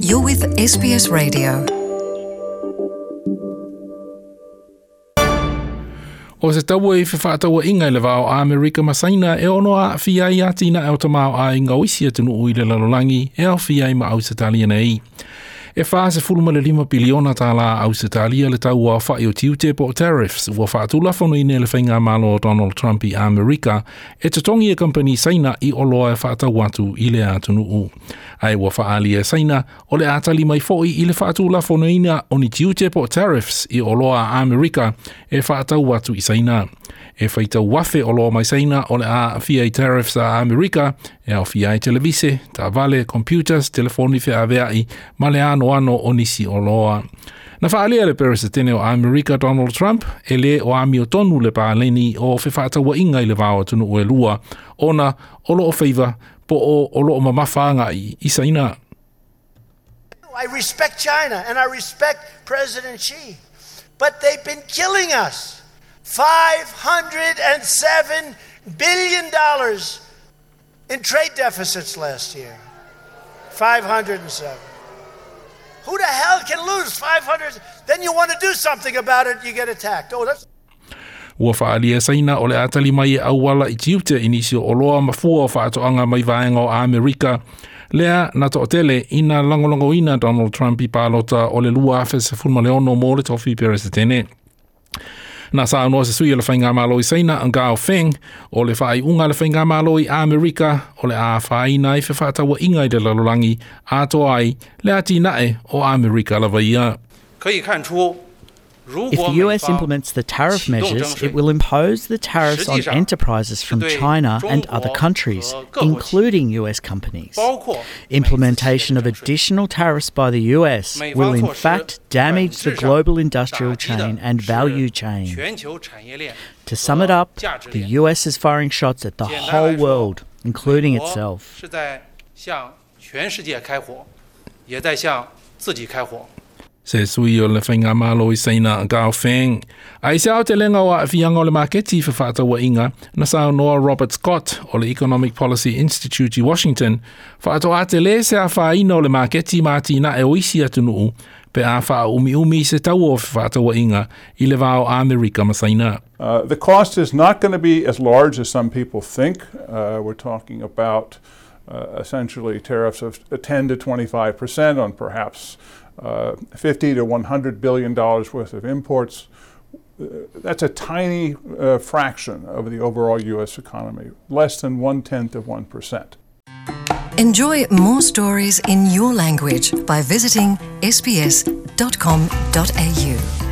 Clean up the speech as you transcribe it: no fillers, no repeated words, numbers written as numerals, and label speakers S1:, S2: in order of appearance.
S1: You're with SBS Radio.
S2: O se taua i fefaatauaiga i le va o Amerika ma Saina e ono aafia ai atinae o tamaoaiga o isi atunuu i le lalolagi e aofia ai ma Ausetalia nei. E $45 piliona tālā Ausetalia le tau aofai o tiute po o tariffs ua faatulafonoina e le faigamalo o Donald Trump i Amerika e totogi e kamupani Saina i oloa e faatau atu i le atunuu. Ae ua faaalia e Saina o le a tali mai foi i le faatulafonoina o ni tiute po o tariffs i oloa a Amerika e faatau atu i Saina. E faitau afe oloa mai Saina o le a aafia i tariffs a Amerika e aofia ai televise, taavale, computers, telefoni feaveai ma le anoano o nisi oloa. Na faaalia e le Peresetene o Amerika Donald Trump e lē o amiotonu le paleni o fefaatauaiga i le va o atunuu e lua ona o loo faiva po o o loo mamafa agai i Saina.
S3: I respect China and I respect President Xi, but they've been killing us. $507 billion in trade deficits last year. 507. Who the hell can lose 500? Then you want to do something about it, you get attacked. Oh, that's
S2: Ua faaalia e Saina o le a tali mai e auala i tiute i nisi o oloa ma fua o faatoaga mai vaega o Amerika. Lea na toatele ina lagolagoina Donald Trump i palota o le 2016 mo le tofi Peresetene. Na saunoa se sui o le Faigamalo i Saina, Gao Feng, o le faaiuga a le Faigamalo i Amerika o le a afaina ai fefaatauaiga i le lalolagi atoa ai le atinae o Amerika lava ia.
S4: 可以看出，
S5: If the US implements the tariff measures, it will impose the tariffs on enterprises from China and other countries, including US companies. Implementation of additional tariffs by the US will in fact damage the global industrial chain and value chain. To sum it up, the US is firing shots at the whole world, including itself.
S4: 是在向全世界开火，也在向自己开火。
S2: Se sui o le Faigamalo i Saina Gao Feng. Ae i se aotelega o aafiaga o le maketi i fefaatauaiga, na saunoa Robert Scott o le Economic Policy Institute i Washington, faatoa tele se afaina o le maketi ma atinae o isi atunuu pe a faaumiumi se taua o fefaatauaiga i le va o Amerika ma Saina.
S6: The cost is not going to be as large as some people think. We're talking about essentially tariffs of 10 to 25% on perhaps 50 to 100 billion dollars worth of imports. That's a tiny fraction of the overall U.S. economy, less than 1/10 of 1%.
S1: Enjoy more stories in your language by visiting sbs.com.au.